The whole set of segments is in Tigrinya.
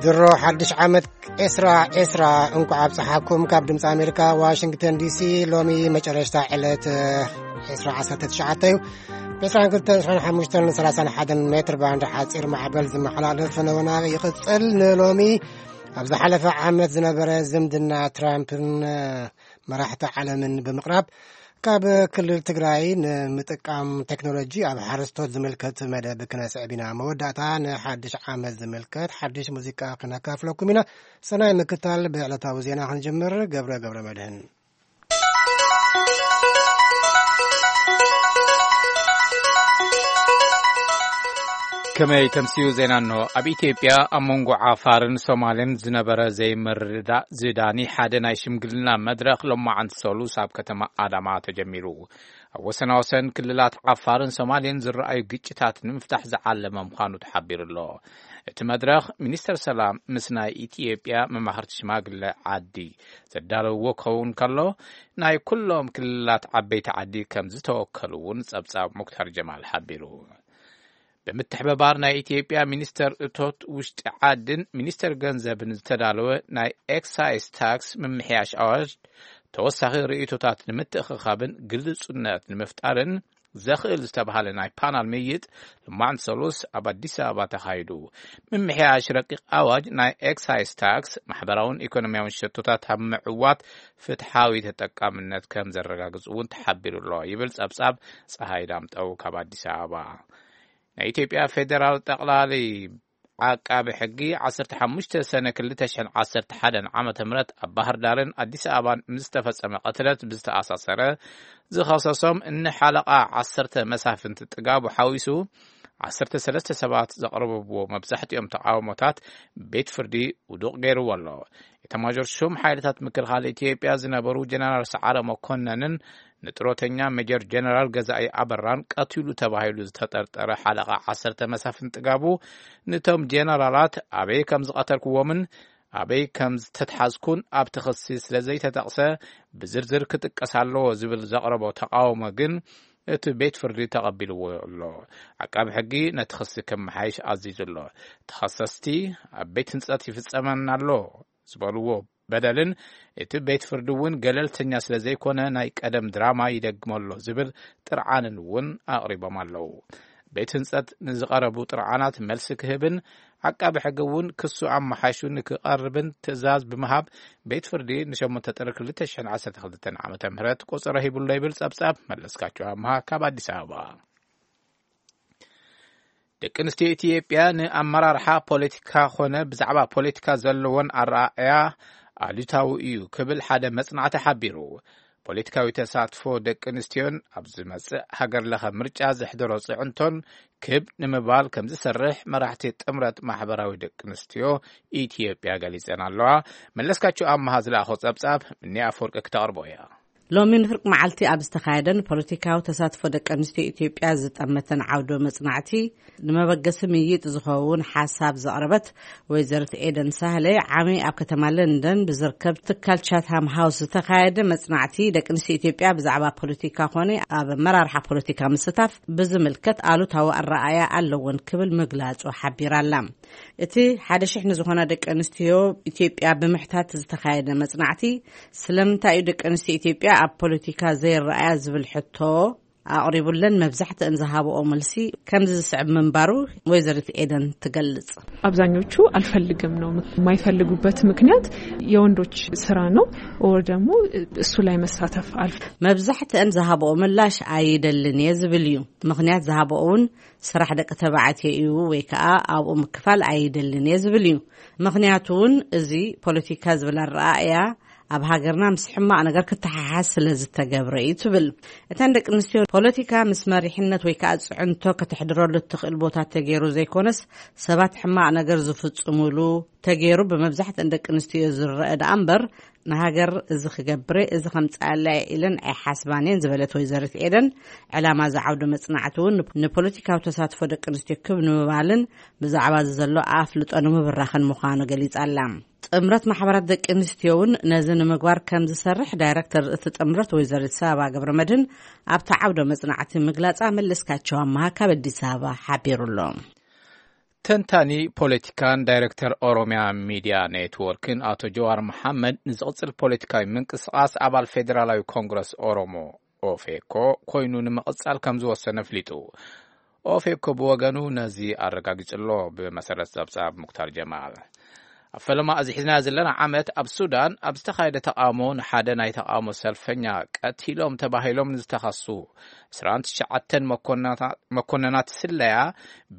ድሮ ሓድሽ ዓመት ዕስራ ዕስራ እንኳዕ ኣብፀሓኩም። ካብ ድምፂ ኣሜሪካ ዋሽንግተን ዲሲ። ሎሚ መጨረሽታ ዕለት ዕስራ ዓሰርተ ትሽዓተ እዩ። ዕስራን ክልተን ዕስራን ሓሙሽተን ሰላሳን ሓደን ሜትር ባንድ ሓፂር ማዕበል ዝመሓላለፍ ፈነወና ይቕፅል። ንሎሚ ኣብ ዝሓለፈ ዓመት ዝነበረ ዝምድና ትራምፕን መራሕቲ ዓለምን ብምቕራብ፣ ካብ ክልል ትግራይ ንምጥቃም ቴክኖሎጂ ኣብ ሓረስቶት ዝምልከት መደብ ክነስዕብ ኢና። መወዳእታ ንሓድሽ ዓመት ዝምልከት ሓድሽ ሙዚቃ ክነካፍለኩም ኢና። ሰናይ ምክታል። ብዕለታዊ ዜና ክንጅምር። ገብረ ገብረ መድህን። ከመይ ተምስዩ ዜና እንሆ። ኣብ ኢትዮጵያ ኣብ መንጎ ዓፋርን ሶማልን ዝነበረ ዘይምርዳእ ዝዳኒ ሓደ ናይ ሽምግልና መድረኽ ሎማዓንቲ ሰሉስ ኣብ ከተማ ኣዳማ ተጀሚሩ። ኣብ ወሰናወሰን ክልላት ዓፋርን ሶማልን ዝረኣዩ ግጭታት ንምፍታሕ ዝዓለመ ምዃኑ ተሓቢሩ ኣሎ። እቲ መድረኽ ሚኒስተር ሰላም ምስ ናይ ኢትዮጵያ መማኽርቲ ሽማግለ ዓዲ ዘዳለውዎ ክኸውን ከሎ፣ ናይ ኩሎም ክልላት ዓበይቲ ዓዲ ከም ዝተወከሉ እውን ጸብጻብ ሙክታር ጀማል ሓቢሩ። ብምትሕብባር ናይ ኢትዮጵያ ሚኒስተር እቶት ውሽጢ ዓድን ሚኒስተር ገንዘብን ዝተዳለወ ናይ ኤክሳይዝ ታክስ ምምሕያሽ ኣዋጅ ተወሳኺ ርእይቶታት ንምትእኽኻብን ግልጹነት ንምፍጣርን ዘኽእል ዝተባሃለ ናይ ፓናል ምይይጥ ሎማዕንቲ ሰሉስ ኣብ ኣዲስ ኣበባ ተኻይዱ። ምምሕያሽ ረቂቕ ኣዋጅ ናይ ኤክሳይዝ ታክስ ማሕበራውን ኢኮኖሚያውን ሸቶታት ኣብ ምዕዋት ፍትሓዊ ተጠቃምነት ከም ዘረጋግጽ እውን ተሓቢሩ ኣሎ ይብል ጸብጻብ ጸሃይ ዳምጠው ካብ ኣዲስ ኣበባ። ናይ ኢትዮጵያ ፌዴራል ጠቕላሊ ዓቃቢ ሕጊ ዓሰርተ ሓሙሽተ ሰነ ክልተ ሽሕን ዓሰርተ ሓደን ዓመተ ምህረት ኣብ ባህር ዳርን ኣዲስ ኣበባን ምስ ዝተፈጸመ ቅትለት ብዝተኣሳሰረ ዝኸሰሶም እኒ ሓለቓ ዓሰርተ መሳፍንቲ ጥጋቡ ሓዊሱ ዓሰርተ ሰለስተ ሰባት ዘቕረብዎ መብዛሕትኦም ተቃውሞታት ቤት ፍርዲ ውዱቕ ገይርዎ ኣሎ። ኤታማዦር ሹም ሓይልታት ምክልኻል ኢትዮጵያ ዝነበሩ ጀነራል ሰዓረ መኮነንን ንጥሮተኛ ሜጀር ጀነራል ገዛኢ ኣበራን ቀቲሉ ተባሂሉ ዝተጠርጠረ ሓለቓ ዓሰርተ መሳፍንቲ ጥጋቡ፣ ነቶም ጀነራላት ኣበይ ከም ዝቐተልክዎምን ኣበይ ከም ዝተትሓዝኩን ኣብቲ ክሲ ስለ ዘይተጠቕሰ፣ ብዝርዝር ክጥቀስ ኣለዎ ዝብል ዘቕረቦ ተቃውሞ ግን እቲ ቤት ፍርዲ ተቐቢልዎ ኣሎ። ዓቃቢ ሕጊ ነቲ ክሲ ከመሓይሽ ኣዚዙ ኣሎ። ተኸሰስቲ ኣብ ቤት ህንጸት ይፍጸመና ኣሎ ዝበልዎ በደልን እቲ ቤት ፍርዲ እውን ገለልተኛ ስለ ዘይኮነ ናይ ቀደም ድራማ ይደግሞ ኣሎ ዝብል ጥርዓንን እውን ኣቕሪቦም ኣለዉ። ቤት ህንጸት ንዝቐረቡ ጥርዓናት መልሲ ክህብን ዓቃቢ ሕጊ እውን ክሱ ኣመሓይሹ ንክቐርብን ትእዛዝ ብምሃብ ቤት ፍርዲ ንሸሞንተ ጥሪ ክልተ ሽሕን ዓሰርተ ክልተን ዓመተ ምህረት ቆጸሮ ሂቡሎ ይብል ጸብጻብ መለስካቸው ኣምሃ ካብ ኣዲስ ኣበባ። ደቂ ኣንስትዮ ኢትዮጵያ ንኣመራርሓ ፖለቲካ ኾነ ብዛዕባ ፖለቲካ ዘለዎን ኣረኣእያ ኣሉታዊ እዩ ክብል ሓደ መጽናዕቲ ሓቢሩ። ፖለቲካዊ ተሳትፎ ደቂ ኣንስትዮን ኣብ ዝመጽእ ሃገር ለኸ ምርጫ ዘሕደሮ ጽዕንቶን ክብ ንምባል ከም ዝሰርሕ መራሕቲ ጥምረት ማሕበራዊ ደቂ ኣንስትዮ ኢትዮጵያ ገሊጸን ኣለዋ። መለስካቸው ኣመሃ ዝለኣኾ ጸብጻብ ምኒ ኣፈወርቂ ክተቕርቦ እያ። ሎሚ ንፍርቂ መዓልቲ ኣብ ዝተኻየደን ፖለቲካዊ ተሳትፎ ደቂ ኣንስትዮ ኢትዮጵያ ዝጠመተን ዓውዶ መጽናዕቲ፣ ንመበገሲ ምይይጥ ዝኸውን ሓሳብ ዘቕረበት ወይዘሪት ኤደን ሳህለ ዓሚ ኣብ ከተማ ለንደን ብዝርከብ ትካል ቻትሃም ሃውስ ዝተኻየደ መጽናዕቲ፣ ደቂ ኣንስትዮ ኢትዮጵያ ብዛዕባ ፖለቲካ ኮነ ኣብ ኣመራርሓ ፖለቲካ ምስታፍ ብዝምልከት ኣሉታዊ ኣረኣእያ ኣለወን ክብል ምግላጹ ሓቢራ ኣላ። እቲ ሓደ ሽሕ ንዝኾና ደቂ ኣንስትዮ ኢትዮጵያ ብምሕታት ዝተኻየደ መጽናዕቲ፣ ስለምንታይ እዩ ደቂ ኣንስትዮ ኢትዮጵያ ኣብ ፖለቲካ ዘይረኣያ ዝብል ሕቶ ኣቕሪቡለን፣ መብዛሕትአን ዝሃብኦ መልሲ ከምዚ ዝስዕብ ምንባሩ ወይዘሪት ኤደን ትገልጽ። አብዛኞቹ አልፈልግም ነው። የማይፈልጉበት ምክንያት የወንዶች ስራ ነው፣ or ደግሞ እሱ ላይ መሳተፍ አልፍ- መብዛሕትአን ዝሃብኦ ምላሽ ኣይደልን እየ ዝብል እዩ። ምኽንያት ዝሃብኦ እውን ስራሕ ደቂ ተባዕትዮ እዩ ወይ ከዓ ኣብኡ ምክፋል ኣይደልን እየ ዝብል እዩ። ምኽንያቱ እውን እዚ ፖለቲካ ዝብል ኣረኣእያ ኣብ ሃገርና ምስ ሕማቕ ነገር ክተሓሓዝ ስለ ዝተገብረ እዩ ትብል። እተን ደቂ ኣንስትዮ ፖለቲካ ምስ መሪሕነት ወይ ከዓ ፅዕንቶ ከተሕድረሉ እትኽእል ቦታ ተገይሩ ዘይኮነስ ሰባት ሕማቕ ነገር ዝፍፅሙሉ ተገይሩ ብመብዛሕትአን ደቂ ኣንስትዮ ዝረአ ደኣ እምበር ንሃገር እዚ ክገብረ እዚ ከምፅኣላ እየ ኢለን ኣይሓስባን እየን ዝበለት ወይዘሪት ኤደን፣ ዕላማ እዚ ዓውዲ መፅናዕቲ እውን ንፖለቲካዊ ተሳትፎ ደቂ ኣንስትዮ ክብ ንምባልን ብዛዕባ እዚ ዘሎ ኣፍልጦ ንምብራኽን ምዃኑ ገሊፃ ኣላ። ጥምረት ማሕበራት ደቂ ኣንስትዮ እውን ነዚ ንምግባር ከም ዝሰርሕ ዳይረክተር እቲ ጥምረት ወይዘሪት ሳባ ገብረ መድህን ኣብቲ ዓውደ መጽናዕቲ ምግላጻ መለስካቸው ኣመሃ ካብ ኣዲስ ኣበባ ሓቢሩ ኣሎ። ተንታኒ ፖለቲካን ዳይሬክተር ኦሮሚያ ሚድያ ኔትወርክን ኣቶ ጀዋር መሓመድ፣ ንዝቕጽል ፖለቲካዊ ምንቅስቓስ ኣባል ፌዴራላዊ ኮንግረስ ኦሮሞ፣ ኦፌኮ፣ ኮይኑ ንምቕጻል ከም ዝወሰነ ኣፍሊጡ። ኦፌኮ ብወገኑ ነዚ ኣረጋጊጹ ኣሎ። ብመሰረት ጸብጻብ ሙክታር ጀማል፣ ኣብ ፈለማ እዚ ሒዝናዮ ዘለና ዓመት ኣብ ሱዳን ኣብ ዝተኻየደ ተቓውሞ፣ ንሓደ ናይ ተቓውሞ ሰልፈኛ ቀቲሎም ተባሂሎም ንዝተኸሱ ዕስራን ትሽዓተን መኮንናታ-፣ መኮንናት ስለያ፣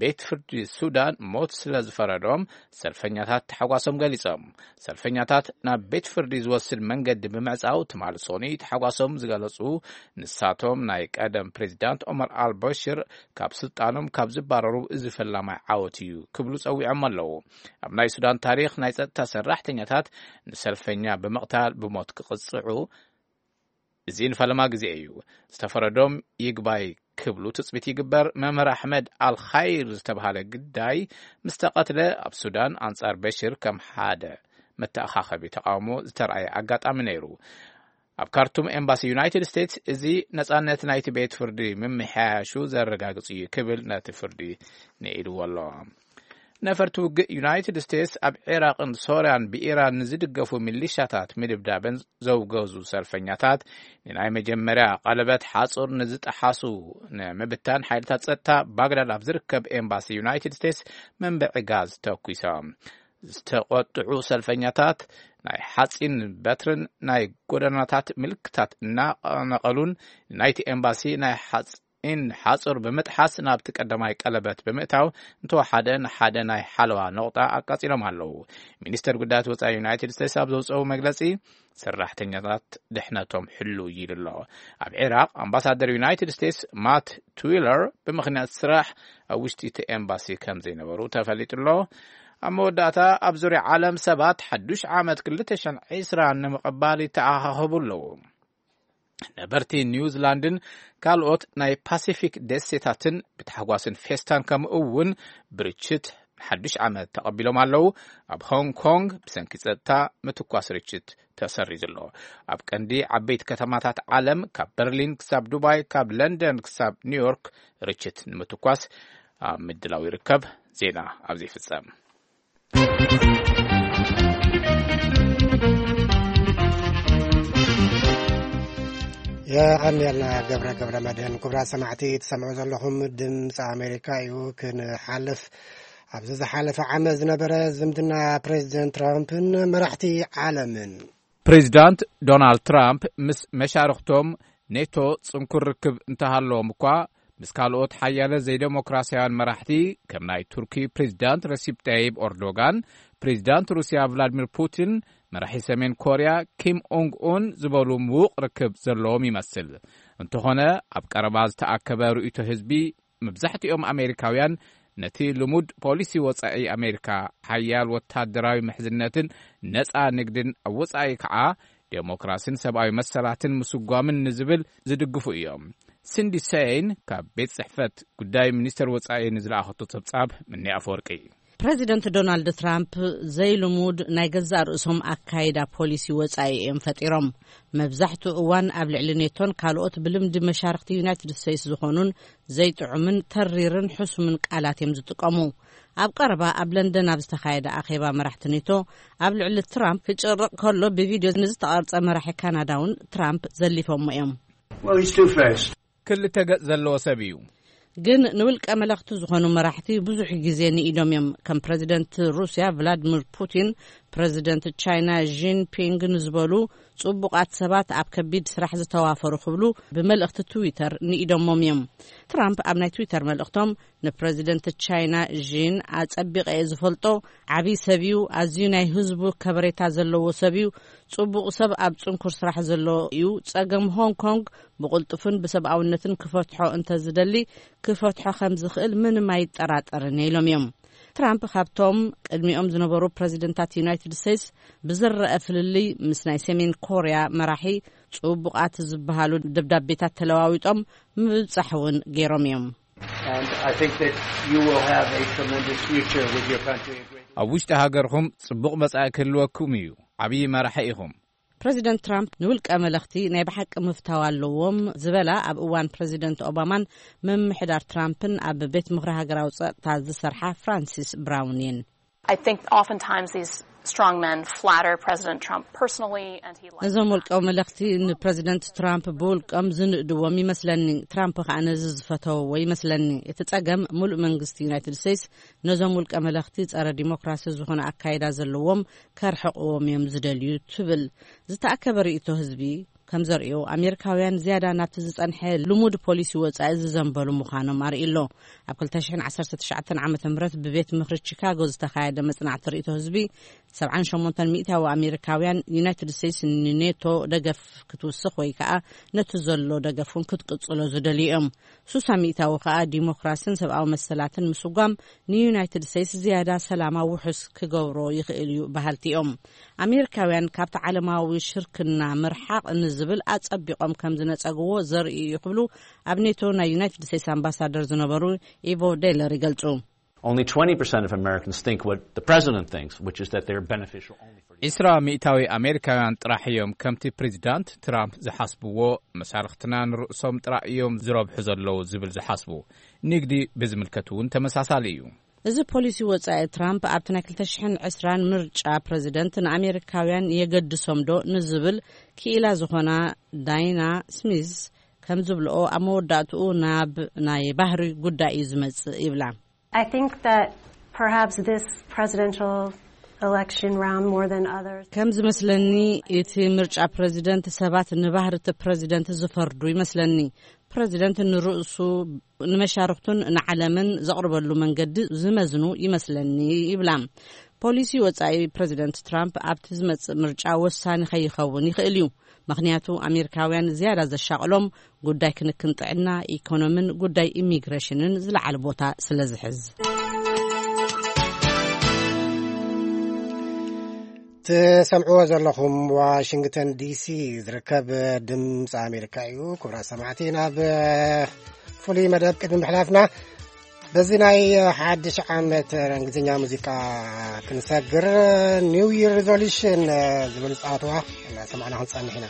ቤት ፍርዲ ሱዳን ሞት ስለ ዝፈረዶም፣ ሰልፈኛታት ተሓጓሶም ገሊጾም። ሰልፈኛታት ናብ ቤት ፍርዲ ዝወስድ መንገዲ ብምዕጻው፣ ትማሊ ሶኒ ተሓጓሶም ዝገለጹ ንሳቶም፣ ናይ ቀደም ፕሬዚዳንት ኦመር ኣልበሽር ካብ ስልጣኖም ካብ ዝባረሩ፣ እዚ ፈላማይ ዓወት እዩ ክብሉ ጸዊዖም ኣለዉ። ኣብ ናይ ሱዳን ታሪኽ፣ ናይ ጸጥታ ሰራሕተኛታት ንሰልፈኛ ብምቕታል ብሞት ክቕጽዑ፣ እዚ ንፈለማ ግዜ እዩ። ዝተፈረዶም ይግባይ ክብሉ ትጽቢት ይግበር። መምህር ኣሕመድ ኣልኻይር ዝተባሃለ ግዳይ ምስ ተቐትለ፣ ኣብ ሱዳን ኣንጻር በሽር ከም ሓደ መተኣኻኸቢ ተቓውሞ ዝተረኣየ ኣጋጣሚ ነይሩ። ኣብ ካርቱም ኤምባሲ ዩናይትድ ስቴትስ፣ እዚ ነጻነት ናይቲ ቤት ፍርዲ ምምሕያሹ ዘረጋግጽ እዩ ክብል ነቲ ፍርዲ ንኢድዎ ኣሎ። ነፈርቲ ውግእ ዩናይትድ ስቴትስ ኣብ ዒራቕን ሶርያን ብኢራን ንዝድገፉ ሚሊሻታት ምድብዳበን ዘውገዙ ሰልፈኛታት፣ ንናይ መጀመርያ ቀለበት ሓጹር ንዝጠሓሱ ንምብታን፣ ሓይልታት ጸጥታ ባግዳድ ኣብ ዝርከብ ኤምባሲ ዩናይትድ ስቴትስ መንብዒ ጋዝ ተኩሶም። ዝተቖጥዑ ሰልፈኛታት ናይ ሓጺን በትርን ናይ ጎደናታት ምልክታት እናነቐሉን፣ ናይቲ ኤምባሲ ናይ ሓጺን ሓጹር ብምጥሓስ፣ ናብቲ ቀዳማይ ቀለበት ብምእታው፣ እንተወሓደ ንሓደ ናይ ሓለዋ ነቑጣ ኣቃጺሎም ኣለዉ። ሚኒስተር ጉዳያት ወጻኢ ዩናይትድ ስቴትስ ኣብ ዘውጽኦ መግለጺ፣ ሰራሕተኛታት ድሕነቶም ሕልው ኢሉ ኣሎ። ኣብ ዒራቕ፣ ኣምባሳደር ዩናይትድ ስቴትስ ማት ትዊለር፣ ብምኽንያት ስራሕ ኣብ ውሽጢ እቲ ኤምባሲ ከም ዘይነበሩ ተፈሊጡ ኣሎ። ኣብ መወዳእታ፣ ኣብ ዙርያ ዓለም ሰባት ሓዱሽ ዓመት ክልተ ሽሕን ዕስራን ንምቕባል ይተኣኻኸቡ ኣለዉ። ነበርቲ ኒውዚላንድን ካልኦት ናይ ፓሲፊክ ደሴታትን ብታሕጓስን ፌስታን፣ ከምኡ እውን ብርችት፣ ንሓዱሽ ዓመት ተቐቢሎም ኣለዉ። ኣብ ሆንግ ኮንግ፣ ብሰንኪ ጸጥታ ምትኳስ፣ ርችት ተሰሪዙ ኣሎ። ኣብ ቀንዲ ዓበይቲ ከተማታት ዓለም፣ ካብ በርሊን ክሳብ ዱባይ፣ ካብ ለንደን ክሳብ ኒውዮርክ፣ ርችት ንምትኳስ ኣብ ምድላው ይርከብ። ዜና ኣብዚ ይፍጸም። የቐንየልና ገብረ፣ ገብረ መድህን። ክቡራት ሰማዕቲ፣ ትሰምዑ ዘለኹም ድምፂ ኣሜሪካ እዩ። ክንሓልፍ፣ ኣብዚ ዝሓለፈ ዓመት ዝነበረ ዝምድና ፕሬዚደንት ትራምፕን መራሕቲ ዓለምን። ፕሬዚዳንት ዶናልድ ትራምፕ ምስ መሻርኽቶም ኔቶ ጽንኩር ርክብ እንተሃለዎም እኳ፣ ምስ ካልኦት ሓያለ ዘይደሞክራስያውያን መራሕቲ፣ ከም ናይ ቱርኪ ፕሬዚዳንት ረሲፕ ጠይብ ኦርዶጋን፣ ፕሬዚዳንት ሩስያ ቭላድሚር ፑቲን፣ መራሒ ሰሜን ኮርያ ኪም ኡንግ ኡን ዝበሉ ምዉቕ ርክብ ዘለዎም ይመስል። እንተኾነ፣ ኣብ ቀረባ ዝተኣከበ ርእይቶ ህዝቢ፣ መብዛሕትኦም ኣሜሪካውያን ነቲ ልሙድ ፖሊሲ ወጻኢ ኣሜሪካ፣ ሓያል ወታደራዊ ምሕዝነትን ነጻ ንግድን ኣብ ወጻኢ ከኣ ዴሞክራሲን ሰብኣዊ መሰላትን ምስጓምን ንዝብል ዝድግፉ እዮም። ሲንዲ ሰይን ካብ ቤት ጽሕፈት ጉዳይ ሚኒስተር ወጻኢ ንዝለኣኸቶ ጸብጻብ፣ ምኒ ኣፈወርቂ። ፕረዚደንት ዶናልድ ትራምፕ ዘይልሙድ ናይ ገዛእ ርእሶም ኣካይዳ ፖሊሲ ወጻኢ እዮም ፈጢሮም። መብዛሕትኡ እዋን ኣብ ልዕሊ ኔቶን ካልኦት ብልምዲ መሻርኽቲ ዩናይትድ ስቴትስ ዝኾኑን ዘይጥዑምን ተሪርን ሕሱምን ቃላት እዮም ዝጥቀሙ። ኣብ ቀረባ ኣብ ለንደን ኣብ ዝተኻየደ ኣኼባ መራሕቲ ኔቶ፣ ኣብ ልዕሊ ትራምፕ ክጭርቕ ከሎ ብቪድዮ ንዝተቐርጸ መራሒ ካናዳ እውን ትራምፕ ዘሊፎሞ እዮም። Well, he's two-faced. ክልተ ገጽ ዘለዎ ሰብ እዩ። ግን ንውልቀ መለኽቲ ዝኾኑ መራሕቲ ብዙሕ ግዜ ንኢዶም እዮም። ከም ፕረዚደንት ሩስያ ቭላድሚር ፑቲን፣ ፕረዚደንት ቻይና ዢንፒንግ ንዝበሉ ጽቡቓት ሰባት ኣብ ከቢድ ስራሕ ዝተዋፈሩ ክብሉ ብመልእኽቲ ትዊተር ንኢዶሞም እዮም። ትራምፕ ኣብ ናይ ትዊተር መልእኽቶም፣ ንፕረዚደንት ቻይና ዢን ኣጸቢቐ እየ ዝፈልጦ። ዓብዪ ሰብ እዩ። ኣዝዩ ናይ ህዝቡ ከበሬታ ዘለዎ ሰብ እዩ። ጽቡቕ ሰብ፣ ኣብ ጽንኩር ስራሕ ዘሎ እዩ። ጸገም ሆንግ ኮንግ ብቕልጡፍን ብሰብኣውነትን ክፈትሖ እንተዝደሊ፣ ክፈትሖ ከም ዝኽእል ምንም ኣይጠራጠርን እየ ኢሎም እዮም። ትራምፕ ካብቶም ቅድሚኦም ዝነበሩ ፕረዚደንታት ዩናይትድ ስቴትስ ብዝረአ ፍልልይ፣ ምስ ናይ ሰሜን ኮርያ መራሒ ጽቡቓት ዝበሃሉ ደብዳቤታት ተለዋዊጦም ምብጻሕ እውን ገይሮም እዮም። And I think that you will have a tremendous future with your country. A great ኣብ ውሽጢ ሃገርኹም ጽቡቕ መጻኢ ክህልወኩም እዩ። ዓብዪ መራሒ ኢኹም። ፕረዚደንት ትራምፕ ንውልቀ መለኽቲ ናይ ብሓቂ ምፍታው ኣለዎም ዝበላ ኣብ እዋን ፕረዚደንት ኦባማን ምምሕዳር ትራምፕን ኣብ ቤት ምኽሪ ሃገራዊ ጸጥታ ዝሰርሓ ፍራንሲስ ብራውን እየን። I think oftentimes these strong men flatter President Trump personally, and he likes ነዞም ውልቀ መለኽቲ ንፕረዚደንት ትራምፕ ብውልቀም ዝንእድዎም ይመስለኒ። ትራምፕ ከኣ ነዚ ዝፈተዎ ይመስለኒ። እቲ ጸገም፣ ሙሉእ መንግስቲ ዩናይትድ ስቴትስ ነዞም ውልቀ መለኽቲ ጸረ ዲሞክራሲ ዝኾነ ኣካይዳ ዘለዎም ከርሕቕዎም እዮም ዝደልዩ ትብል። ዝተኣከበ ርእይቶ ህዝቢ ከም ዘርእዮ፣ ኣሜሪካውያን ዝያዳ ናብቲ ዝጸንሐ ልሙድ ፖሊሲ ወጻኢ ዝዘንበሉ ምዃኖም ኣርእዩ ኣሎ። ኣብ ክልተ ሽሕን ዓሰርተ ትሽዓተን ዓመተ ምህረት ብቤት ምኽሪ ቺካጎ ዝተኻየደ መጽናዕቲ ርእይቶ ህዝቢ፣ ሰብዓን ሸሞንተን ሚእታዊ ኣሜሪካውያን ዩናይትድ ስቴትስ ንኔቶ ደገፍ ክትውስኽ ወይ ከኣ ነቲ ዘሎ ደገፍ እውን ክትቅጽሎ ዝደልዩ እዮም። ሱሳ ሚእታዊ ከኣ ዲሞክራስን ሰብኣዊ መሰላትን ምስጓም ንዩናይትድ ስቴትስ ዝያዳ ሰላማ ውሑስ ክገብሮ ይኽእል እዩ በሃልቲ እዮም። ኣሜሪካውያን ካብቲ ዓለማዊ ሽርክና ምርሓቕ ንዝብል ኣጸቢቖም ከም ዝነጸግዎ ዘርኢ እዩ ክብሉ ኣብ ኔቶ ናይ ዩናይትድ ስቴትስ ኣምባሳደር ዝነበሩ ኢቮ ዴለር ይገልጹ። Only twenty percent of Americans think what the president thinks, which is that they're beneficial only for the ዒስራ ሚእታዊ ኣሜሪካውያን ጥራሕ እዮም ከምቲ ፕሬዚዳንት ትራምፕ ዝሓስብዎ፣ መሻርኽትና ንርእሶም ጥራይ እዮም ዝረብሑ ዘለዉ ዝብል ዝሓስቡ። ንግዲ ብዝምልከት እውን ተመሳሳሊ እዩ። እዚ ፖሊሲ ወጻኢ ትራምፕ ኣብቲ ናይ ክልተ ሽሕን ዕስራን ምርጫ ፕረዚደንት ንኣሜሪካውያን የገድሶም ዶ ንዝብል ክኢላ ዝኾና ዳይና ስሚዝ ከም ዝብልኦ፣ ኣብ መወዳእትኡ ናብ ናይ ባህሪ ጉዳይ እዩ ዝመጽእ ይብላ። I think that perhaps this presidential election round, more than others, ከም ዝመስለኒ፣ እቲ ምርጫ ፕረዚደንት ሰባት ንባህሪ እቲ ፕረዚደንት ዝፈርዱ ይመስለኒ። ፕረዚደንት ንርእሱ፣ ንመሻርኽቱን ንዓለምን ዘቕርበሉ መንገዲ ዝመዝኑ ይመስለኒ ይብላ። ፖሊሲ ወጻኢ ፕረዚደንት ትራምፕ ኣብቲ ዝመጽእ ምርጫ ወሳኒ ከይኸውን ይኽእል እዩ። ምኽንያቱ፣ ኣሜሪካውያን ዝያዳ ዘሻቕሎም ጉዳይ ክንክን ጥዕና፣ ኢኮኖምን ጉዳይ ኢሚግሬሽንን ዝለዓለ ቦታ ስለ ዝሕዝ። ትሰምዕዎ ዘለኹም ዋሽንግተን ዲሲ ዝርከብ ድምፂ ኣሜሪካ እዩ። ክቡራት ሰማዕቲ፣ ናብ ፍሉይ መደብ ቅድሚ ምሕላፍና፣ በዚ ናይ ሓድሽ ዓመት እንግሊዝኛ ሙዚቃ ክንሰግር፣ ኒው ይር ሪዞሉሽን ዝብል ፃወትዋ እናሰማዕና ክንፀንሕ ኢና።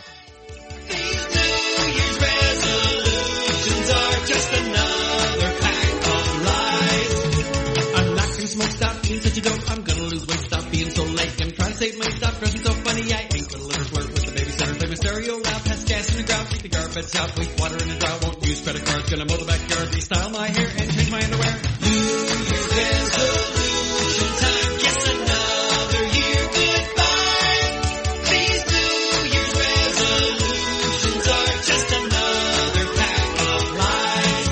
These New Year's resolutions are just another pack of lies. I'm not gonna smoke, stop being such a dope. I'm gonna lose weight, stop being so late. Gonna try to save money, stop dressing so funny. I ain't gonna live or flirt with the babysitter. Play my stereo loud, pass gas in the ground, keep the garbage out, waste water in the drought. Won't use credit cards, gonna mow the backyard, restyle my hair, and change my underwear. New Year's resolution time, yes, another year goodbye. These New Year's resolutions are just another pack of lies.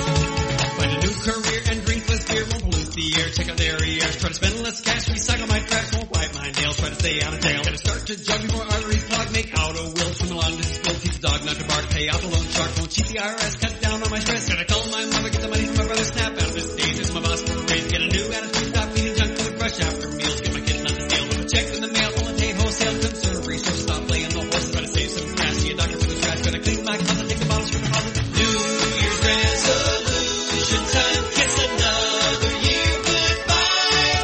Find a new career and drink less beer. Won't pollute the air. Check out the area. Try to spend less cash. Recycle my trash. Won't wipe my nails. Try to stay out of jail. Gotta start to jog before arteries clog. Make outer will. Swim along to school. Teach the dog not to bark. Pay off a loan shark. Won't cheat the I R S. Cut down on my stress. Gotta call my mother. Get the money from my brother. Snap out of this stage. It's my boss for a raise. Get a new attitude. Stop eating junk food. Fresh after meals. Get my kids not to steal. Check in the mail. Only pay wholesale. Concern resource. Stop playing the horse. Try to save some cash. See a doctor for the trash. Gotta clean my closet. Take the bottles from the closet. New Year's resolution time. Kiss another year goodbye.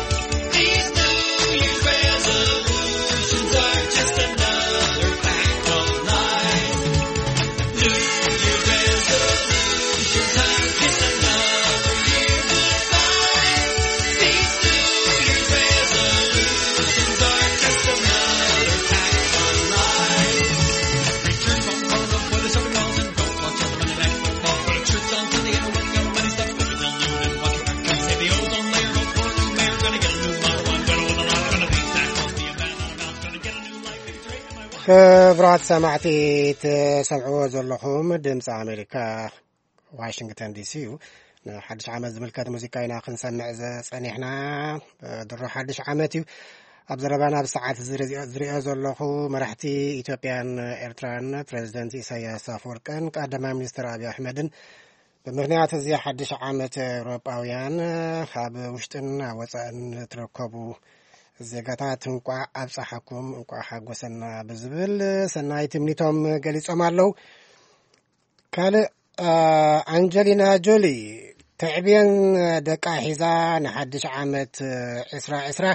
These New Year's resolutions are just another pack of lies. New Year's resolution time. Kiss another year goodbye. These New Year's resolutions are just another pack of lies. Return phone calls, avoid the shopping malls, and don't watch all the Monday Night Football. Go to church on Sunday and work out money stuff. Go to the noon and watch your friends. Say the ozone layer, go for the mayor. Gonna get a new model. I'm gonna win a lot. Gonna beat that horse, be a man on a mount. Gonna get a new life. It's right in my ክቡራት ሰማዕቲ፣ ትሰምዕዎ ዘለኹም ድምፂ ኣሜሪካ ዋሽንግተን ዲሲ እዩ። ንሓድሽ ዓመት ዝምልከት ሙዚቃ ኢና ክንሰምዕ ዝጸኒሕና። ድሮ ሓድሽ ዓመት እዩ። ኣብ ዘረባና ብሰዓት ዝርዝኦ ዘለኹ፣ መራሕቲ ኢትዮጵያን ኤርትራን ፕረዚደንት ኢሳያስ ኣፈወርቅን ቀዳማይ ሚኒስትር ኣብይ ኣሕመድን ብምኽንያት እዚ ሓድሽ ዓመት ኤውሮጳውያን ኣብ ውሽጥን ኣብ ወጻእን ትርከቡ ዜጋታት እንቋዕ ኣብጻሓኩም፣ እንቋዕ ሓጎሰና ብዝብል ሰናይ ትምኒቶም ገሊጾም ኣለዉ። ካልእ፣ አ፣ ኣንጀሊና ጆሊ ተዕብየን ደቃ ሒዛ ንሓድሽ ዓመት ዕስራ ዕስራ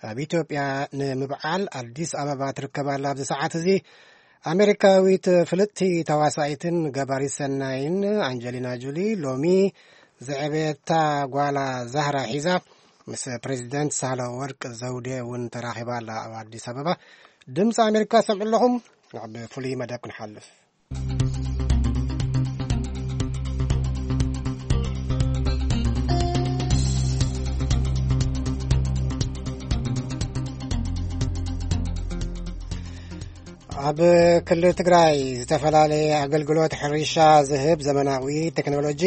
ኣብ ኢትዮጵያ ንምብዓል ኣዲስ ኣበባ ትርከብ ኣላ። ኣብዚ ሰዓት እዚ ኣሜሪካዊት ፍልጥቲ ተዋሳኢትን ገባሪት ሰናይን ኣንጀሊና ጁሊ ሎሚ ዘዕበየታ ጓላ ዛህራ ሒዛ ምስ ፕሬዚደንት ሳህለ ወርቅ ዘውዴ እውን ተራኺባ ኣላ። ኣብ ኣዲስ ኣበባ ድምፂ ኣሜሪካ ሰምዑ ኣለኹም። ናብ ፍሉይ መደብ ክንሓልፍ። ኣብ ክልል ትግራይ ዝተፈላለየ ኣገልግሎት ሕርሻ ዝህብ ዘመናዊ ቴክኖሎጂ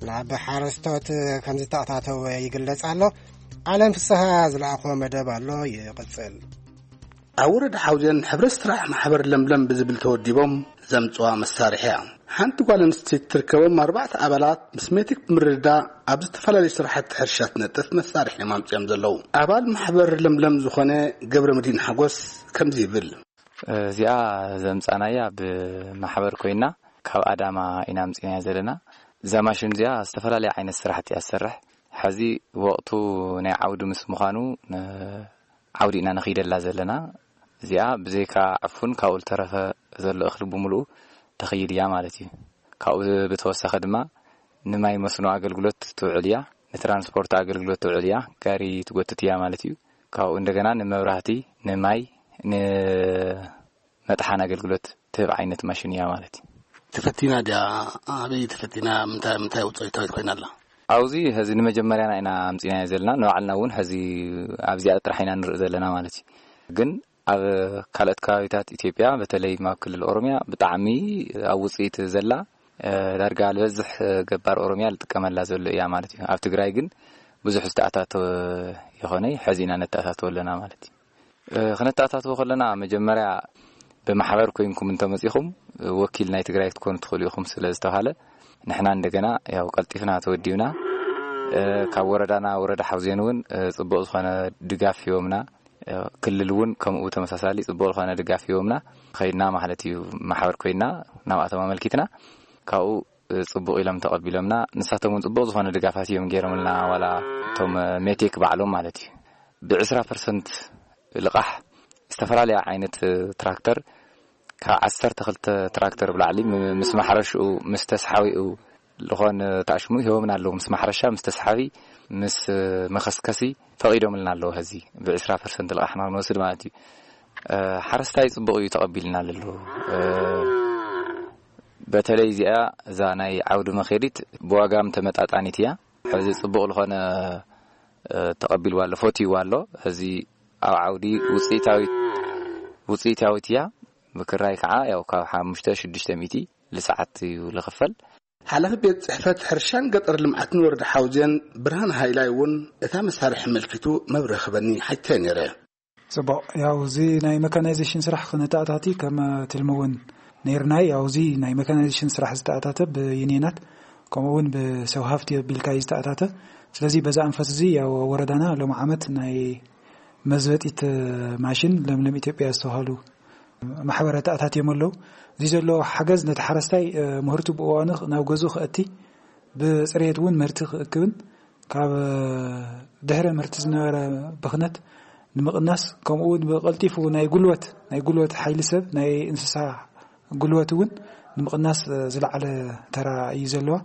ናብ ሓረስቶት ከም ዝተኣታተወ ይግለጽ ኣሎ። ዓለም ፍስሃ ዝለኣኾ መደብ ኣሎ፣ ይቕጽል። ኣብ ወረዳ ሓውዜን ሕብረት ስራሕ ማሕበር ለምለም ብዝብል ተወዲቦም ዘምፅዋ መሳርሒ እያ። ሓንቲ ጓል ኣንስተይቲ ትርከቦም ኣርባዕተ ኣባላት ምስ ሜቴክ ብምርድዳ ኣብ ዝተፈላለዩ ስራሕቲ ሕርሻ ትነጥፍ መሳርሒ እዮም ኣምፅኦም ዘለዉ። ኣባል ማሕበር ለምለም ዝኾነ ገብረ መድህን ሓጎስ ከምዚ ይብል። እዚኣ ዘምፃናያ ብማሕበር ኮይና ካብ ኣዳማ ኢና ኣምፂናያ ዘለና። እዛ ማሽን እዚኣ ዝተፈላለየ ዓይነት ስራሕቲ እያ ትሰርሕ። ሕዚ ወቕቱ ናይ ዓውዲ ምስ ምዃኑ ን- ዓውዲ ኢና ንኽይደላ ዘለና። እዚኣ ብዘይካ ዕፉን ካብኡ ዝተረፈ ዘሎ እኽሊ ብምሉኡ ተኽይድ እያ ማለት እዩ። ካብኡ ብተወሳኺ ድማ ንማይ መስኖ ኣገልግሎት ትውዕል እያ፣ ንትራንስፖርት ኣገልግሎት ትውዕል እያ፣ ጋሪ ትጎትት እያ ማለት እዩ። ካብኡ እንደገና ንመብራህቲ፣ ንማይ፣ ንመጥሓን ኣገልግሎት ትህብ ዓይነት ማሽን እያ ማለት እዩ። ተፈቲና ድያ? ኣበይ ተፈቲና? ምንታይ ምንታይ ውፅኢታዊት ኮይና ኣላ? ኣብዚ ሕዚ ንመጀመርያና ኢና ኣምፂናዮ ዘለና። ንባዕልና እውን ሕዚ ኣብዚኣ ጥራሕ ኢና ንርኢ ዘለና ማለት እዩ። ግን ኣብ ካልኦት ከባቢታት ኢትዮጵያ፣ በተለይ ኣብ ክልል ኦሮሚያ ብጣዕሚ ኣብ ውፅኢት ዘላ፣ እ፣ ዳርጋ ዝበዝሕ ገባር ኦሮሚያ ዝጥቀመላ ዘሎ እያ ማለት እዩ። ኣብ ትግራይ ግን ብዙሕ ዝተኣታተወ ይኾነ፣ ሕዚ ኢና ነተኣታተወ ኣለና ማለት እዩ። እ፣ ክነተኣታትዎ ከለና መጀመርያ ብማሕበር ኮይንኩም እንተመፂኹም፣ እ፣ ወኪል ናይ ትግራይ ክትኮኑ ትኽእሉ ኢኹም ስለ ዝተባሃለ፣ ንሕና እንደገና ያው ቀልጢፍና ተወዲብና፣ እ፣ ካብ ወረዳና ወረዳ ሓውዜን እውን፣ እ፣ ፅቡቕ ዝኾነ ድጋፍ ሂቦምና። እ፣ ክልል እውን ከምኡ ተመሳሳሊ ፅቡቕ ዝኾነ ድጋፍ ሂቦምና። ከይድና ማለት እዩ፣ ማሕበር ኮይንና ናብኣቶም ኣመልኪትና፣ ካብኡ፣ እ፣ ፅቡቕ ኢሎም ተቐቢሎምና። ንሳቶም እውን ፅቡቕ ዝኾነ ድጋፋት እዮም ገይሮምልና፣ ዋላ እቶም፣ እ፣ ሜቴክ ባዕሎም ማለት እዩ። ብ20% ልቓሕ ዝተፈላለያ ዓይነት ትራክተር ካብ 12 ትራክተር ብላዕሊ ም-፣ ምስ ማሕረሽኡ፣ ምስ ተስሓቢኡ ዝኾን ተኣሽሙ ሂቦምና ኣለዉ። ምስ ማሕረሻ፣ ምስ ተስሓቢ፣ ምስ መኸስከሲ ፈቒዶምልና ኣለዉ። ሕዚ ብ20% ልቓሕና ክንወስድ ማለት እዩ። እ፣ ሓረስታይ ጽቡቕ እዩ ተቐቢልና ኣሎ። እ፣ በተለይ እዚኣ፣ እዛ ናይ ዓውዲ መኼዲት ብዋጋ ተመጣጣኒት እያ። ሕዚ ጽቡቕ ዝኾነ፣ እ፣ ተቐቢልዋ ኣሎ፣ ፈትይዋ ኣሎ። ሕዚ ኣብ ዓውዲ ውጽኢታዊት፣ ውጽኢታዊት እያ። ብክራይ ከዓ ያው ካብ ሓሙሽተ ሽዱሽተ ሚእቲ ልሰዓት እዩ ልኽፈል። ሓላፊ ቤት ጽሕፈት ሕርሻን ገጠር ልምዓትን ወረዳ ሓውዜን ብርሃን ሃይላይ እውን እታ መሳርሒ ኣመልኪቱ መብርሂ ክበኒ ሓቲተ ነይረ። ጽቡቕ። ያው እዚ ናይ መካናይዜሽን ስራሕ ክነተኣታቲ ከም ትልሚ እውን ነይርና። ያው እዚ ናይ መካናይዜሽን ስራሕ ዝተኣታተ ብዩኒየናት ከምኡ እውን ብሰብ ሃፍቲ ኣቢልካ እዩ ዝተኣታተ። ስለዚ በዛ ኣንፈት እዚ ያው ወረዳና ሎም ዓመት ናይ መዝበጢት ማሽን ለምለም ኢትዮጵያ ዝተባሃሉ ማሕበራት ኣታትዮም ኣለዉ። እዚ ዘሎ ሓገዝ ነቲ ሓረስታይ፣ እ፣ ምህርቱ ብእዋኑ ናብ ገዝኡ ክእቲ፣ ብፅሬት እውን ምህርቲ ክእክብን ካብ፣ እ፣ ድሕሪ ምህርቲ ዝነበረ ብኽነት ንምቕናስ፣ ከምኡ እውን ብቐልጢፉ ናይ ጉልበት፣ ናይ ጉልበት ሓይሊ ሰብ፣ ናይ እንስሳ ጉልበት እውን ንምቕናስ፣ እ፣ ዝለዓለ ተራ እዩ ዘለዋ።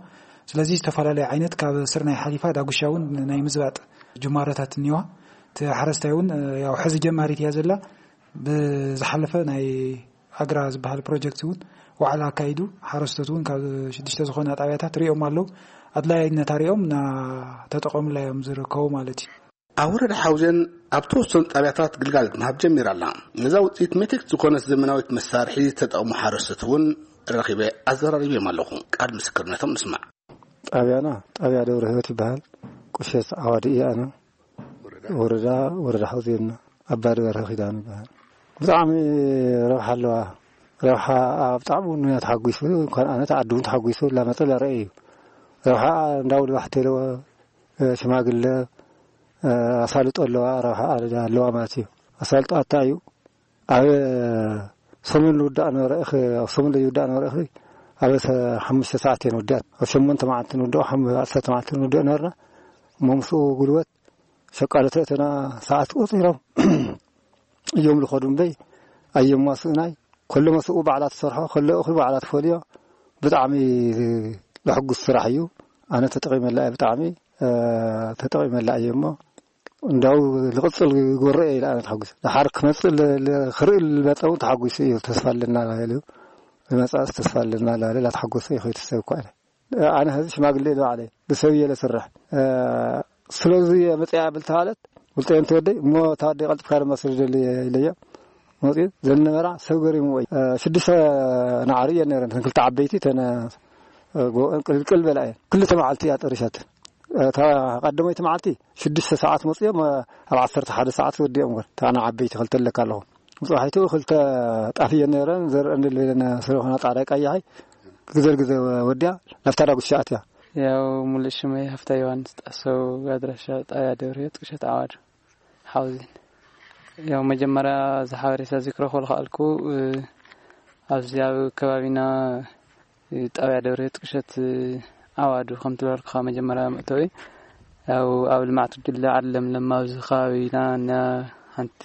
ስለዚ ዝተፈላለዩ ዓይነት ካብ ስርናይ ሓሊፋ ዳጉሻ እውን ናይ ምዝባጥ ጅማሮታት እኒዋ። እቲ ሓረስታይ እውን፣ እ፣ ያው ሕዚ ጀማሪት እያ ዘላ። ብዝሓለፈ ናይ ኣግራ ዝበሃል ፕሮጀክት እውን ዋዕላ ኣካይዱ፣ ሓረስቶት እውን ካብ ሽዱሽተ ዝኾና ጣብያታት ሪኦም ኣለዉ። ኣድላይነታ ሪኦም እናተጠቐሙላ እዮም ዝርከቡ ማለት እዩ። ኣብ ወረዳ ሓውዜን ኣብ ተወሰኑ ጣብያታት ግልጋሎት ምሃብ ጀሚራ ኣላ። ነዛ ውፅኢት ሜቴክ ዝኾነት ዘመናዊት መሳርሒ ዝተጠቕሙ ሓረስቶት እውን ረኺበ ኣዘራሪበዮም ኣለኹ። ቃል ምስክርነቶም ንስማዕ። ጣብያና ጣብያ ደብረ ህይወት ይበሃል። ቁሸት ዓዋዲ እየ ኣነ። ወረዳ፣ ወረዳ ሓውዜንና። ኣባዲ በርሀ ኪዳኑ ይበሃል። ብጣዕሚ ረብሓ ኣለዋ። ረብሓ ኣብ ጣዕሙ ንያ ተሓጒሱ፣ እንኳን ኣነ ተዓዱ እውን ተሓጒሱ፣ ላመፀ ላረአ እዩ። ረብሓ እንዳውል ባሕቲ ኣለዎ፣ እ፣ ሽማግለ፣ እ፣ ኣሳልጦ ኣለዋ፣ ረብሓ ኣለዋ ማለት እዩ። ኣሳልጦ ኣታ እዩ። ኣብ ሰሙን ዝውዳእ ነበረ እኺ፣ ኣብ ሰሙን ዝውዳእ ነበረ እኺ፣ ኣብ ሰ-፣ ሓሙሽተ ሰዓት እየን ወዲኣት። ኣብ ሸሞንተ መዓልቲ ንውድኦ፣ ሓም-፣ ዓሰርተ መዓልቲ ንውድኦ ነበርና። እሞ ምስኡ ጉልበት ሸቃሎ ተእተና ሰዓት ቆጺሮም እዮም ዝኸዱ እምበይ፣ ኣየማስእናይ። ኩሉ መስኡ ባዕላ ትሰርሖ፣ ኩሉ እኹ ባዕላ ትፈልዮ። ብጣዕሚ ለሕጉስ ስራሕ እዩ። ኣነ ተጠቒመላ እየ፣ ብጣዕሚ፣ እ፣ ተጠቒመላ እየ እሞ እንዳው ልቕጽል ይጎርእ እየ ኢለ ኣነ ተሓጒሰ። ድሓር ክመጽእ ለ-፣ ለ-፣ ክርኢ ልመጸ እውን ተሓጒሱ እዩ። ተስፋ ኣለና ኢሉ ዝመጽኣስ ተስፋ ኣለና ላለ ላተሓጎሰ ይኸይድ ሰብ እኳ ኢለ። ኣነ ሕዚ ሽማግሌ እየ ባዕለይ ብሰብ እየ ለስርሕ። እ፣ ስለዚ እየ መጽኣ ብል ተባለት ውልጠ እንተ ወደይ እሞ እታ ወደይ ቀልጥፍካ ድማ ስደደሊ ኢለዮ። መጽኡ ዘነበራ ሰብ ገሪሙ ወይ፣ እ፣ ሽዱሽተ ናዕሪ እየን ነይረን። እተን ክልተ ዓበይቲ እተን፣ እ፣ ጎ-፣ ቅልቅል በላ እየን። ክልተ መዓልቲ እያ ጠሪሻተን። እታ ቀዳመይቲ መዓልቲ ሽዱሽተ ሰዓት መጽኦም፣ እ፣ ኣብ ዓሰርተ ሓደ ሰዓት ወዲኦም ወር። እታ ንዓበይቲ ክልተ ኣለካ ኣለኹ። ጽባሒቱ ክልተ ጣፍ እየን ነይረን። ዘርአን ልበለና ስለኾና ጻዕዳ ቀያሓይ ግዘ ግዘ ወዲያ ናብታ ዳጉሻ ኣትያ። ያው ሙሉእ ሽመይ ሃፍታ ዮሃንስ ጣሰው፣ ኣድራሻ ጣብያ ደብረ ሕይወት ቁሸት ዓዋዱ ሓውዚን። ያው መጀመርያ እዚ ሓበሬታ እዚ ክረኽቦ ዝኸኣልኩ፣ እ፣ ኣብዚ ኣብ ከባቢና፣ እ፣ ጣብያ ደብረ ሕይወት ቁሸት፣ እ፣ ዓዋዱ ከም ትበልኩኻ መጀመርያ መእተዊ ያው ኣብ ልምዓት ጉጅለ ዓለም ለማ ኣብዚ ከባቢና እና ሓንቲ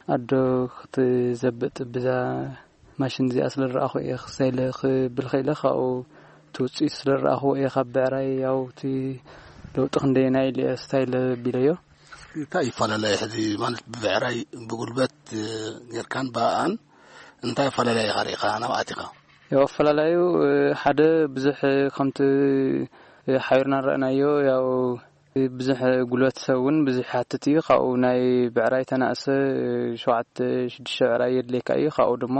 ኣዶ ክትዘብጥ ብዛ ማሽን እዚኣ ስለ ዝረኣኹ እየ ክሳይለ ክብል ኸኢለ፣ ካብኡ እቲ ውፅኢት ስለ ዝረኣኹ እየ ካብ ብዕራይ ያው እቲ ለውጢ ክንደየናይ ኢለ እየ ስታይለ ቢለዮ። እንታይ ይፈላለየ ሕዚ ማለት ብብዕራይ ብጉልበት ጌርካን ብኣኣን እንታይ ይፈላለየ ኢኻ ርኢኻ ናብኣቲኻ? ያው ኣፈላላዩ ሓደ ብዙሕ ከምቲ ሓቢርና ንረእናዮ ያው ብዙሕ ጉልበት ሰብ እውን ብዙሕ ይሓትት እዩ። ካብኡ ናይ ብዕራይ ተናእሰ ሸውዓተ ሽዱሽተ ብዕራይ የድልየካ እዩ። ካብኡ ደሞ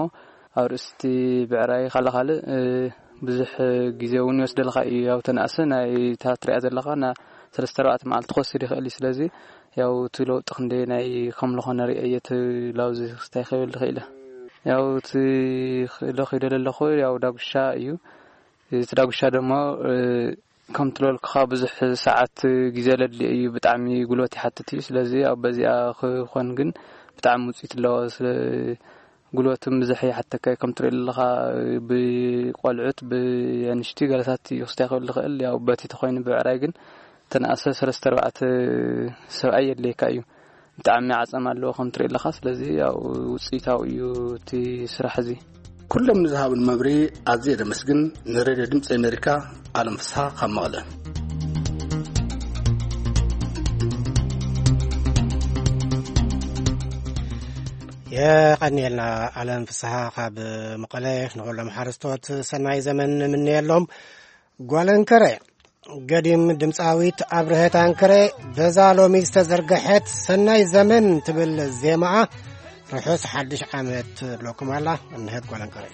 ኣብ ርእስቲ ብዕራይ ካልእ ካልእ ብዙሕ ግዜ እውን ይወስደልካ እዩ። ያው ተናእሰ ናይ እታ ትሪኣ ዘለኻ ና ሰለስተ ኣርባዕተ መዓልቲ ክወስድ ይኽእል እዩ። ስለዚ ያው እቲ ለውጢ ክንደየናይ ከም ዝኾነ ርእየ እቲ ላውዚ ክስታይ ክብል ይኽእል እየ። ያው እቲ ክእሎ ኺደለ ኣለኹ ያው ዳጉሻ እዩ። እቲ ዳጉሻ ደሞ ከም ትለልኩኻ ብዙሕ ሰዓት ግዜ ለድልዮ እዩ። ብጣዕሚ ጉልበት ይሓትት እዩ። ስለዚ ኣብ በዚኣ ክኾን ግን ብጣዕሚ ውፅኢት ኣለዎ። ስለ ጉልበትን ብዝሕ ይሓተካ እዩ። ከም ትሪኦ ኣለኻ ብቆልዑት ብኣንሽቲ ገለታት እዩ ክስታይ ክብል ዝኽእል። ያው በቲ ተኾይኑ ብዕራይ ግን ተነኣሰ ሰለስተ ኣርባዕተ ሰብኣይ የድልየካ እዩ። ብጣዕሚ ዓጸም ኣለዎ ከም ትሪኦ ኣለኻ። ስለዚ ያው ውፅኢታዊ እዩ እቲ ስራሕ እዚ። ኩሎም ንዝሃቡን መብርሂ ኣዝየ ደመስግን። ንሬድዮ ድምፂ ኣሜሪካ ኣለም ፍስሓ ካብ መቐለ። የቐንየልና ኣለም ፍስሓ ካብ መቐለ። ንኹሎም ሓረስቶት ሰናይ ዘመን ንምነየሎም። ጓል እንከረ ገዲም ድምፃዊት ኣብርሀት ኣንከረ በዛ ሎሚ ዝተዘርገሐት ሰናይ ዘመን ትብል ዜማኣ ርሑስ ሓድሽ ዓመት ትብለኩም ኣላ። እንሀት ጓል እንከረ።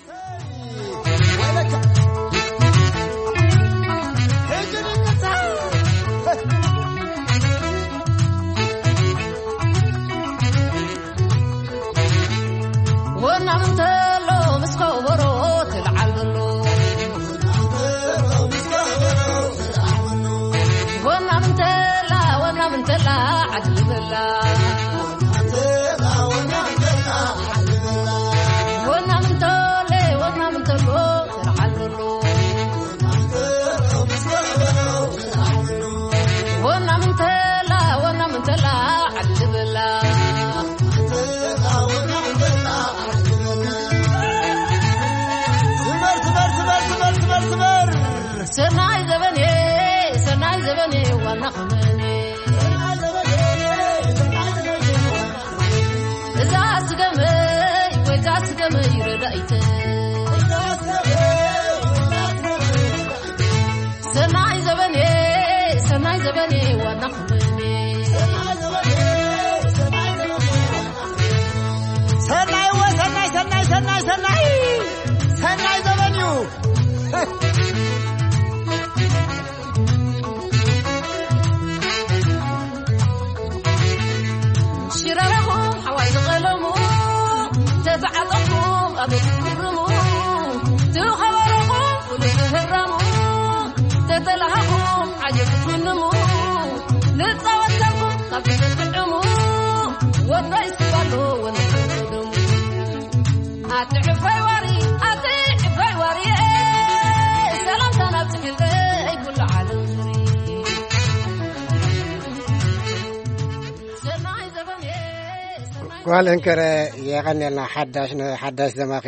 ወናም እንተሎ ምስ ከበሮ ትልዓል ዘሎ። ወናም እንተላ፣ ወናም እንተላ ዓዲ በላ። ወናም እንተለ፣ ወናም እንተሎ ትልዓል ዘሎ። ወናም እንተላ፣ ወናም እንተላ ዓዲ በላ። ትበር፣ ትበር፣ ትበር፣ ትበር፣ ትበር፣ ትበር። ሰናይ ዘበኔ፣ ሰናይ ዘበኔ ዋና ኸመኔ። እዛ ስገመይ ወይ እዛ ስገመይ ረዳኢተ። ሰናይ ዘበኔ፣ ሰናይ ዘበኔ ዋና ኸመኔ። ሰናይ ወ-፣ ሰናይ፣ ሰናይ፣ ሰናይ፣ ሰናይ፣ ሰናይ ዘበን እዩ። ሽረረኹም ሓዋይ ዝቐለሙ፣ ተተዓጠኹም ኣብ ትፍርሙ፣ ትኸበረኹም ኩሉ ትህረሙ፣ ተተላሃኹም ዓጀብ ትፍንሙ፣ ንጻወተልኩም ካብ ትጥዕሙ፣ ወዶ ይስባሉ ወንድሙ። ኣቲ ዕባይ ዋሪ፣ ኣቲ ዕባይ ዋሪ፣ ሰላምታ ናብ ጽግልገይ ኩሉ ዓለም ዙሪ። ሰናይ ዘበን እየ፣ ሰናይ ጓል እንከረ የቐንየልና ሓዳሽ፣ ንሓዳሽ ዘማኺ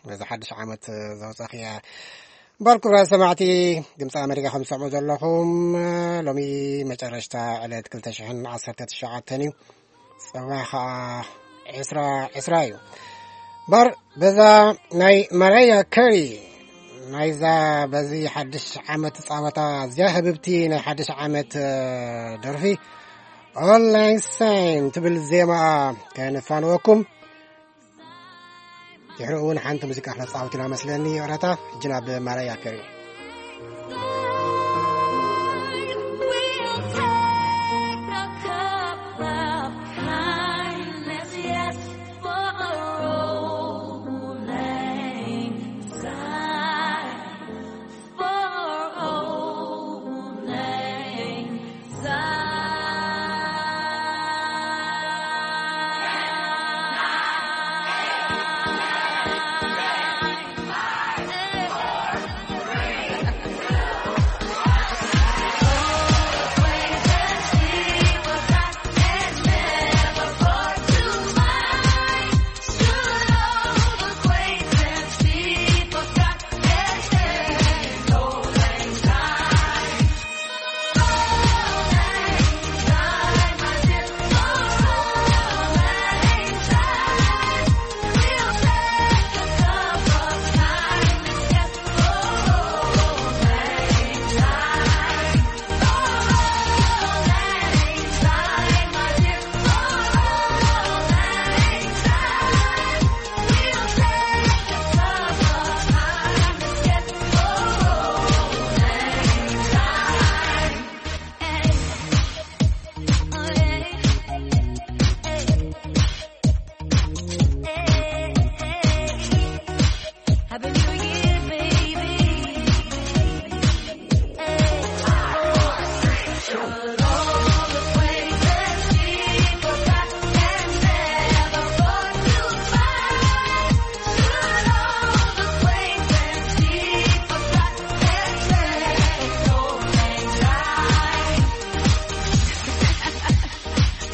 ነዚ ሓድሽ ዓመት ዘውፀኽያ። እምበር ክቡራት ሰማዕቲ ድምፂ ኣሜሪካ ከም ትሰምዑ ዘለኹም፣ ሎሚ መጨረሽታ ዕለት ክልተ ሽሕን ዓሰርተ ትሽዓተን እዩ። ፅባሕ ከዓ ዕስራ ዕስራ እዩ። እምበር በዛ ናይ ማራያ ከሪ ናይዛ በዚ ሓድሽ ዓመት ፃወታ እዚኣ ህብብቲ ናይ ሓድሽ ዓመት ደርፊ ኦንላይን ሳይን ትብል ዜማ ከነፋንወኩም። ድሕሪ እውን ሓንቲ ሙዚቃ ክነፃወት ኢና መስለኒ። ይቕረታ፣ ሕጂ ናብ ማራያ ከሪ።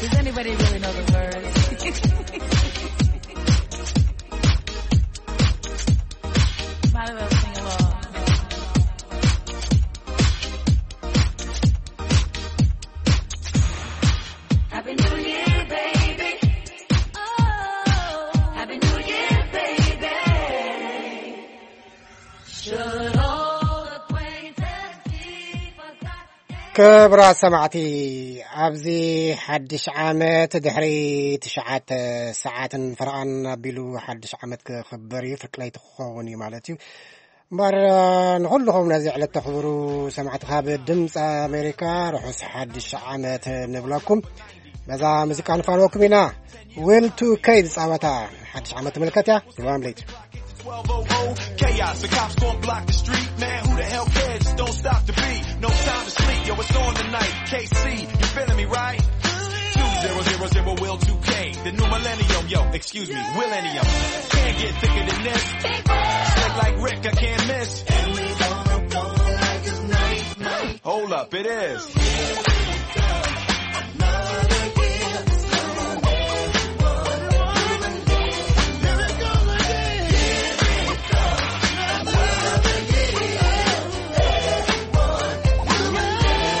Does anybody really know the words? Might as well sing along. Happy New Year, baby. Oh, Happy New Year, baby. Should all acquaintance be forgot? ክቡራት ሰማዕቲ፣ ኣብዚ ሓድሽ ዓመት ድሕሪ ትሽዓተ ሰዓትን ፈረቓን ኣቢሉ ሓድሽ ዓመት ክኽበር እዩ። ፍርቂ ለይቲ ክኸውን እዩ ማለት እዩ። እምበር ንኹልኹም ነዚ ዕለት ተኽብሩ ሰማዕቲ ካብ ድምፂ ኣሜሪካ ርሑስ ሓድሽ ዓመት ንብለኩም። ነዛ ሙዚቃ ንፋንወኩም ኢና። ዊል ቱ ከይ ዝፃወታ ሓድሽ ዓመት ትምልከት እያ። ግርማም ለይቲ። Twelve oh oh, chaos, the cops gon' block the street, man, who the hell cares? Just don't stop the beat, no time to sleep, yo, it's on tonight, K C, you feeling me, right? Two zero zero zero will two K, the new millennium, yo, excuse me, millennium. Can't get thicker than this. Slick like Rick, I can't miss. And we gonna blow like it's night, night. Hold up, it is.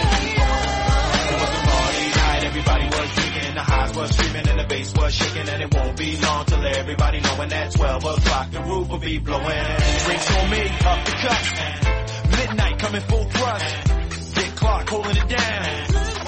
It was a party night, everybody was drinking, the highs was streaming, and the bass was shaking, and it won't be long till everybody knowing that twelve o'clock the roof will be blowing. Drinks on me, up the cups, midnight coming full thrust. Dick Clark holding it down.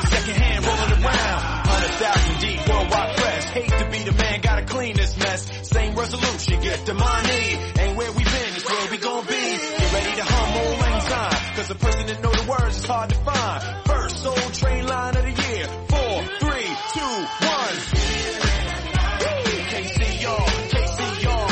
Second hand rolling around. Hundred thousand deep, worldwide press. Hate to be the man, gotta clean this mess. Same resolution, get the money. Ain't where we been, it's where we gon' be. Get ready to hum old lang syne. Cause a person that know the words is hard to find. First Soul Train line of the year. Four, three, two, one. Can't see y'all, can't see y'all.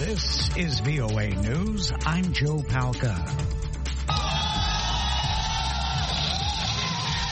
This is V O A News. I'm Joe Palca.